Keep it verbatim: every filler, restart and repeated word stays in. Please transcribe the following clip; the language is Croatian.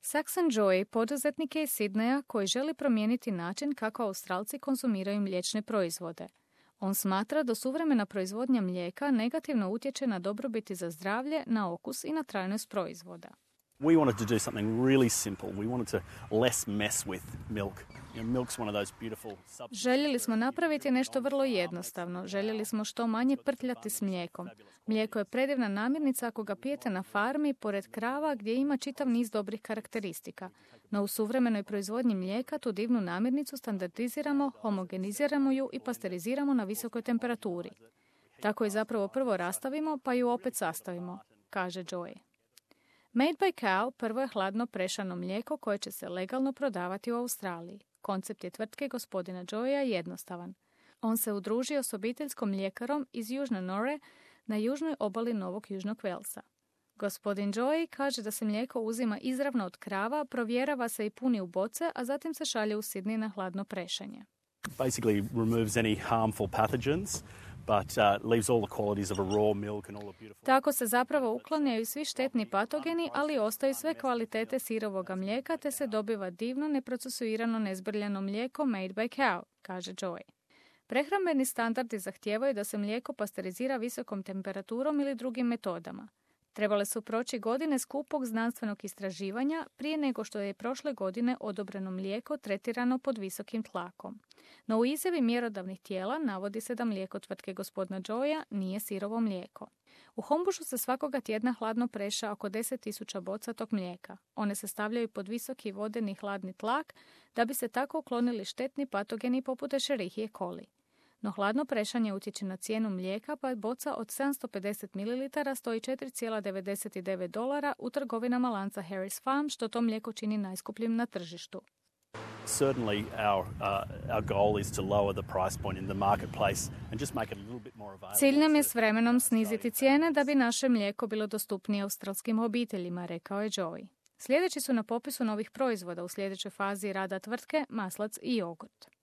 Saxon Joy poduzetnik je iz Sidneja koji želi promijeniti način kako Australci konzumiraju mliječne proizvode. On smatra da suvremena proizvodnja mlijeka negativno utječe na dobrobiti za zdravlje, na okus i na trajnost proizvoda. We wanted to do something really simple. We wanted to less mess with milk. You know, milk's one of those beautiful substances. Željeli smo napraviti nešto vrlo jednostavno. Željeli smo što manje prtljati s mlijekom. Mlijeko je predivna namirnica ako ga pijete na farmi pored krava gdje ima čitav niz dobrih karakteristika. No u suvremenoj proizvodnji mlijeka tu divnu namirnicu standardiziramo, homogeniziramo ju i pasteriziramo na visokoj temperaturi. Tako je zapravo prvo rastavimo pa ju opet sastavimo, kaže Joy. Made by Cow prvo je hladno prešano mlijeko koje će se legalno prodavati u Australiji. Koncept je tvrtke gospodina Joya jednostavan. On se udružio s obiteljskom mljekarom iz Južne Nore na južnoj obali Novog Južnog Velsa. Gospodin Joy kaže da se mlijeko uzima izravno od krava, provjerava se i puni u boce, a zatim se šalje u Sydney na hladno prešanje. Basically removes any harmful pathogens, but uh, leaves all the qualities of a raw milk and all the beautiful... Tako se zapravo uklanjaju svi štetni patogeni, ali ostaju sve kvalitete sirovoga mlijeka, te se dobiva divno, neprocesuirano, nezbrljano mlijeko made by cow, kaže Joy. Prehrambeni standardi zahtijevaju da se mlijeko pasterizira visokom temperaturom ili drugim metodama. Trebale su proći godine skupog znanstvenog istraživanja prije nego što je prošle godine odobreno mlijeko tretirano pod visokim tlakom. No u izjavi mjerodavnih tijela navodi se da mlijeko tvrtke gospodina Joya nije sirovo mlijeko. U Hombušu se svakoga tjedna hladno preša oko deset tisuća boca tog mlijeka. One se stavljaju pod visoki vodeni hladni tlak da bi se tako uklonili štetni patogeni poput Escherichie coli. No hladno prešanje utječe na cijenu mlijeka, pa boca od sedamsto pedeset mililitara stoji četiri zarez devedeset devet dolara u trgovinama lanca Harris Farm, što to mlijeko čini najskupljim na tržištu. Certainly our uh, our goal is to lower the price point in the marketplace and just make it a little bit more available. Cilj nam je s vremenom sniziti cijene da bi naše mlijeko bilo dostupnije australskim obiteljima, rekao je Joy. Sljedeći su na popisu novih proizvoda u sljedećoj fazi rada tvrtke maslac i jogurt.